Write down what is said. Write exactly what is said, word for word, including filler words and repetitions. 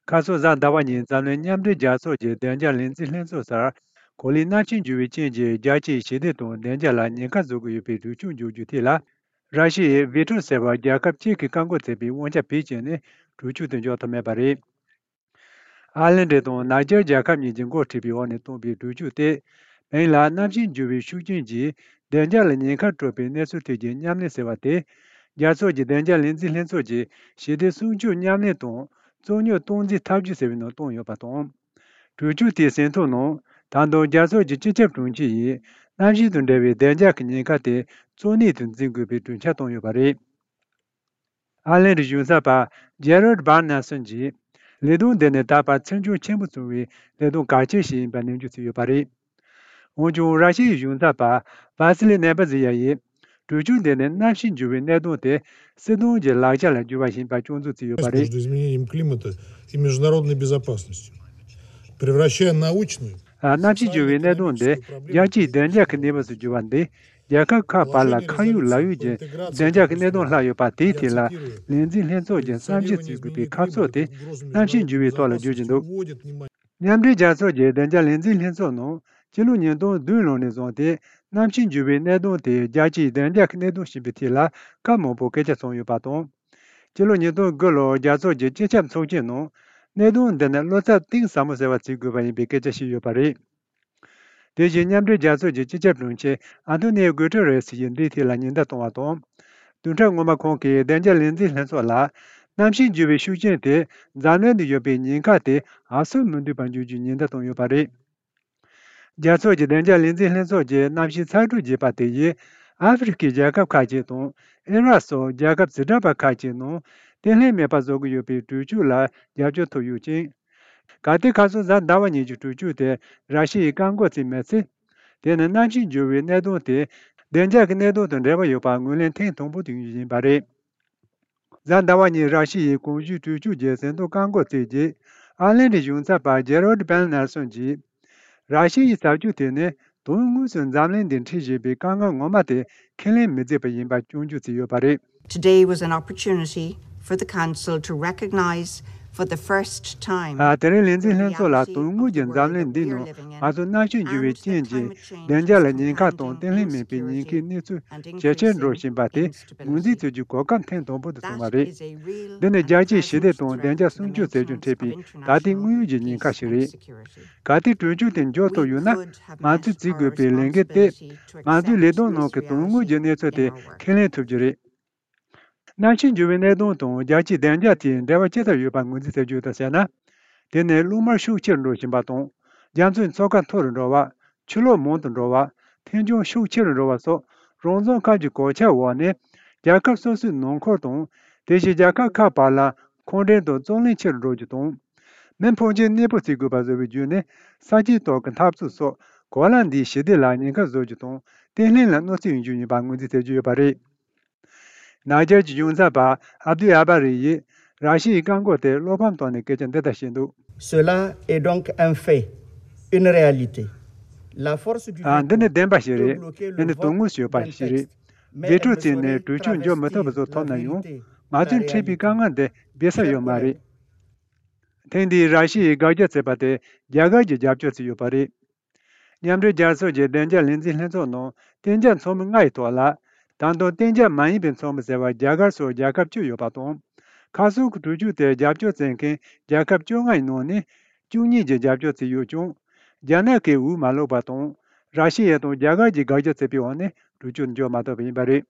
ཁ་སང་གཟའ་ཟླ་བ་ཉིན་འཛམ་གླིང་མཉམ་འབྲེལ་རྒྱལ་ཚོགས་ཀྱི་བདེ་འཇགས་ལས་འཛིན་ལྷན་ཚོགས་སར་གོ་ལའི་གནམ་གཤིས་འགྱུར་བའི་རྐྱེན་གྱིས་རྒྱལ་སྤྱིའི་ཞི་བདེ་དང་བདེ་འཇགས་ལ་ཉེན་ཁ་བཟོ་གི་ཡོད་པའི་གྲོས་ཆོད་འཇོག་རྒྱུའི་ཐད་ལ། ར་ཤི་ཡའི་བྷེ་ཊོ་ཟེར་བ་རྒྱལ་ཁབ་གཅིག་གིས་བཀག་འགོག་བྱས་པའི་དབང་ཆ་བེད་སྤྱད་ནས་གྲོས་ཆོད་དེ་འཇོག་ཐུབ་མེད་པ་རེད། ཨར་ལན་ཌི་དང་ནཱི་ཇར་རྒྱལ་ཁབ་གཉིས་ཀྱིས་འགོ་ཁྲིད་པའི་འོག་ནས་བཏོན་པའི་གྲོས་ཆོད་དེ། བོད་ལ་གནམ་གཤིས་འགྱུར་བའི་ཤུགས་རྐྱེན་གྱིས་བདེ་འཇགས་ལ་ཉེན་ཁ་སྤྲོད་པའི་གནས་ཚུལ་ཐད་ཀྱི་མཉམ་ལས་ཟེར་བ་དེ། རྒྱལ་ཚོགས་ཀྱི་བདེ་འཇགས་ལས་འཛིན་ལྷན་ཚོགས་ཀྱི་ཞི་བདེ་སྲུང་སྐྱོབ་མཉམ་ལས་དང་རྩོད་རྙོག་སྟངས་འཛིན་ཐབས་ཇུས་ཟེར་བའི་ནང་བཏོན་ཡོད་པ་དང་། གྲོས་ཆོད་དེའི་ཟིན་ཐོ་ནང་ད་དུང་རྒྱལ་ཚོགས་ཀྱི་སྤྱི་ཁྱབ་དྲུང་ཆེ་ཡིས་གནམ་གཤིས་དང་འབྲེལ་བའི་བདེ་འཇགས་ཀྱི་ཉེན་ཁ་དེ་གཙོ་གནད་དུ་འཛིན་དགོས་པའི་གྲོས་འཆར་བཏོན་ཡོད་པ་རེད། ཨར་ལན་ཌི་གཞུང་ཚབ་པ་ཇེ་རལ་ཌི་བྷར་ནེལ་སོན་གྱིས་ལས་དོན་འདི་ནི་ད་བར་ཚིག་མཇུག་ཆེན་པོ་བྱུང་བའི་ལས་དོན་གལ་ཆེ་ཞིག་ཡིན་པ་ནན་བརྗོད་བྱས་ཡོད་པ་རེད། འོན་ཀྱང་ར་ཤི་ཡའི་གཞུང་ཚབ་པ་ཝ་སི་ལི་ནེ་བྷ་ཟི་ཡ་ཡིས་གྲོས་ཆོད་འདི་ནི་གནམ་གཤིས་འགྱུར་བའི་གནད་དོན་དེ་སྲིད་དོན་གྱི་ལག་ཆ་ལ་བསྒྱུར་བ་ཡིན་པ་སྐྱོན་འཛུགས་བྱས་ཡོད་པ་རེད། Между изменением климата и международной безопасностью, превращая научную. ཨ། གནམ་གཤིས་འགྱུར་བའི་གནད་དོན་འདི་རྒྱལ་སྤྱིའི་བདེ་འཇགས་ཀྱི་གནས་བབ་སུ་གྱུར་པ་འདི། རྒྱལ་ཁབ་ཁག་བར་ལ་ཁ་ཡོད་ལག་ཡོད་ཀྱི་བདེ་འཇགས་ཀྱི་གནད་དོན་ལྷག་ཡོད་པ་དེའི་ཐད་ལ་ལས་འཛིན་ལྷན་ཚོགས་ཀྱིས་བསམ་ཞིབ་བྱེད་དགོས་པའི་ཁ་ཕྱོགས་དེ་གནམ་གཤིས་འགྱུར་བའི་ཐོག་ལ་བརྗོད་ཀྱི་འདུག། མཉམ་འབྲེལ་རྒྱལ་ཚོགས་ཀྱི་བདེ་འཇགས་ལས་འཛིན་ལྷན་ཚོགས་ནང་སྤྱི་ལོ་ཉིས་སྟོང་བདུན་ལོ་ནས་བཟུང་སྟེ་གནམ་གཤིས་འགྱུར་བའི་གནད་དོན་དེ་རྒྱལ་སྤྱིའི་བདེ་འཇགས་ཀྱི་གནད་དོན་ཞིག་ཡིན་པའི་ཐད་ལ་སྐབས་མང་པོ་སྐད་ཆ་བྱུང་ཡོད་པ་དང་། སྤྱི་ལོ་ཉིས་སྟོང་དགུ་ལོར་རྒྱལ་ཚོགས་ཀྱི་སྤྱི་ཁྱབ་ཚོགས་ཆེན་ནང་གནད་དོན་འདི་ནི་བློ་འཚབ་གཏིང་ཟབ་མོ་ཟེར་བ་བྱེད་དགོས་པ་ཡིན་པའི་སྐད་ཆ་བཤད་ཡོད་པ་རེད། དེ་བཞིན་མཉམ་འབྲེལ་རྒྱལ་ཚོགས་ཀྱི་སྤྱི་ཁྱབ་དྲུང་ཆེ་ཨན་ཐོ་ནིའོ་གུ་ཏེ་རེ་སི་ཡིས་འདིའི་ཐད་ལ་ཉེན་བརྡ་བཏང་བ་དང་། བདུན་ཕྲག་སྔོན་མ་ཁོང་གིས་བདེ་འཇགས་ལས་འཛིན་ལྷན་ཚོགས་ལ་གནམ་གཤིས་འགྱུར་བའི་ཤུགས་རྐྱེན་དེ་འཛམ་གླིང་དུ་ཡོད་པའི་ཉེན་ཁ་དེ་ཧ་སོ་མི་འདུག་པ་འཇོག་རྒྱུའི་ཉེན་བརྡ་བཏང་ཡོད་པ་རེད། རྒྱལ་ཚོགས་ཀྱི་བདེ་འཇགས་ལས་འཛིན་ལྷན་ཚོགས་ཀྱི་གནམ་གཤིས་ཚ་དྲོད་རྒྱས་པ་དེ་ཡིས་ཨ་ཧྥེ་རི་ཁའི་རྒྱལ་ཁབ་ཁག་ཅིག་དང་ཨི་རག་སོགས་རྒྱལ་ཁབ་ཟི་དྲག་པ་ཁག་ཅིག་ནང་བརྟན་ལྷིང་མེད་པ་བཟོ་གི་ཡོད་པའི་གྲོས་ཆོད་ལ་རྒྱབ་སྐྱོར་ཐོབ་ཡོད་ཅིང་། གལ་ཏེ་ཁ་སང་གཟའ་ཟླ་བ་ཉིན་གྱི་གྲོས་ཆོད་དེ་ར་ཤི་ཡས་བཀག་འགོག་བྱས་མེད་ཚེ། དེ་ནི་གནམ་གཤིས་འགྱུར་བའི་གནད་དོན་དེ་བདེ་འཇགས་ཀྱི་གནད་དོན་དང་འབྲེལ་བ་ཡོད་པ་ངོས་ལེན་ཐེངས་དང་པོ་དེ་ཡིན་པ་རེད། གཟའ་ཟླ་བ་ཉིན་ར་ཤི་ཡའི་གོང་ཞུས་གྲོས་ཆོད་ཀྱི་ཟིན་ཐོ་བཀག་འགོག་བྱས་རྗེས། ཨར་ལན་ཌིའི་གཞུང་ཚབ་པ་ཇེ་རལ་ཌི་བྷར་ནེལ་སོན་གྱིས། ར་ཤི་ཡའི་བྱ་སྤྱོད་དེ་ནི་དོན་དངོས་སུ་འཛམ་གླིང་འདིར་འཕྲད་བཞིན་པའི་དཀའ་ངལ་ངོ་མ་དེ་ཁས་ལེན་མི་བྱེད་པ་ཡིན་པ་སྐྱོན་བརྗོད་བྱས་ཡོད་པ་རེད། Today was an opportunity for the Council to recognize for the first time. ཨ། དེ་རིང་ལས་འཛིན་ལྷན་ཚོགས་ལ་དོན་དངོས་ཀྱི་འཛམ་གླིང་འདིའི་ནང་ང་ཚོ་གནམ་གཤིས་འགྱུར་བའི་རྐྱེན་གྱིས་བདེ་འཇགས་ལ་ཉེན་ཁ་དང་བརྟན་ལྷིང་མེད་པའི་ཉེན་ཁའི་གནས་ཚུལ་ཇེ་ཆེར་འགྲོ་བཞིན་པ་དེ་ངོས་འཛིན་བྱེད་རྒྱུའི་གོ་སྐབས་ཐེངས་དང་པོ་དེ་བྱུང་བ་རེད། འདི་ནི་རྒྱལ་སྤྱིའི་ཞི་བདེ་དང་བདེ་འཇགས་སྲུང་སྐྱོབ་བྱེད་རྒྱུར་འཕྲད་པའི་ད་ལྟའི་དངོས་ཡོད་ཀྱི་ཉེན་ཁ་ཞིག་རེད། གལ་ཏེ་གྲོས་ཆོད་དེ་འཇོག་ཐུབ་ཡོད་ན། ང་ཚོས་བྱེད་དགོས་པའི་ལས་འགན་དེ། ང་ཚོའི་ལས་དོན་ནང་གི་དོན་དངོས་ཀྱི་གནས་ཚུལ་དེ་ཁས་ལེན་ཐུབ་རྒྱུ་རེད། གནམ་གཤིས་འགྱུར་བའི་གནད་དོན་དང་རྒྱལ་སྤྱིའི་བདེ་འཇགས་དེའི་འབྲེལ་བ་ཅི་ལྟར་ཡོད་པ་ངོས་འཛིན་བྱ་རྒྱུ་དང་བྱས་ན། དེ་ནི་གློག་དམར་ཤུགས་ཆེ་རུ་འགྲོ་བཞིན་པ་དང་། རྒྱ་མཚོའི་མཚོ་ཁ་མཐོ་རུ་འགྲོ་བ། ཆུ་ལོག་མང་དུ་འགྲོ་བ། ཐན་སྐྱོན་ཤུགས་ཆེ་རུ་འགྲོ་བ་སོགས་རང་བཙན་ཁབ་ཀྱི་གོད་ཆག་འོག་ནས་རྒྱལ་ཁབ་སོ་སོའི་ནང་འཁོར་དང་། དེ་བཞིན་རྒྱལ་ཁབ་ཁག་བར་ལ་འཁོན་འགྲན་དང་རྩོད་གླེང་ཆེ་རུ་འགྲོ་རྒྱུ་དང་། མི་ཕོན་ཆེན་གནས་སྤོ་བྱེད་དགོས་པ་བཟོ་བའི་བརྒྱུད་ནས་ས་ཆའི་ཐོག་གི་འཐབ་རྩོད་སོགས་གོ་ལ་འདིའི་ཞི་བདེ་ལ་ཉེན་ཁ་བཟོ་རྒྱུ་དང་བརྟན་ལྷིང་ལ་གནོད་འཚེ་ཡོང་རྒྱུ་ཡིན་པ་ངོས་འཛིན་བྱེད་ཀྱི་ཡོད་པ་རེད། ནཱི་ཇར་གྱི་གཞུང་ཚབ་པ་ཨབ་དུ་ཨ་བྷ་རི་ཡིས་ར་ཤི་ཡའི་བཀག་འགོག་དེར་བློ་ཕམ་བཏང་ནས་སྐད་ཆ་འདི་ལྟར་བཤད་འདུག། Cela est donc un fait, une réalité. La force du ཨ། འདི་ནི་veto བདེན་པ་ཞིག་རེད། འདི་ནི་དོན་དངོས་སུ་ཡོད་པ་ཞིག་རེད། བེ་ཊོ་བྱས་ནས་གྲོས་ཆོད་འཇོག་མི་ཐུབ་པ་བཟོ་ཐུབ་ན་ཡང་། ང་ཚོས་འཕྲད་པའི་དཀའ་ངལ་འདི་སྦས་ས་ཡོད་མ་རེད། ཐེངས་འདིའི་ར་ཤི་ཡའི་དགག་རྒྱག་བྱས་པ་དེ་རྒྱ་གར་གྱིས་རྒྱབ་སྐྱོར་བྱས་ཡོད་པ་རེད། མཉམ་འབྲེལ་རྒྱལ་ཚོགས་ཀྱི་བདེ་འཇགས་ལས་འཛིན་ལྷན་ཚོགས་ནང་གཏན་འཇགས་ཚོགས་མི་ལྔ་ཡི་ཐོག་ལ། ད་དུང་གཏན་འཇགས་མ་ཡིན་པའི་ཚོགས་མི་ཟེར་བ་རྒྱ་གར་སོགས་རྒྱལ་ཁབ་བཅུ་ཡོད་པ་དང་། ཁ་སང་གི་གྲོས་ཆོད་དེར་རྒྱབ་སྐྱོར་བྱེད་མཁན་རྒྱལ་ཁབ་བཅོ་ལྔ་ཡི་ནང་ནས་བཅུ་གཉིས་ཀྱིས་རྒྱབ་སྐྱོར་བྱས་ཡོད་ཀྱང་། རྒྱ་ནག་གིས་འོས་མ་བླུགས་པ་དང་། ར་ཤི་ཡ་དང་རྒྱ་གར་གྱིས་དགག་རྒྱག་བྱས་པའི་འོག་ནས་གྲོས་ཆོད་འཇོག་མ་ཐུབ་པ་ཡིན་པ་རེད།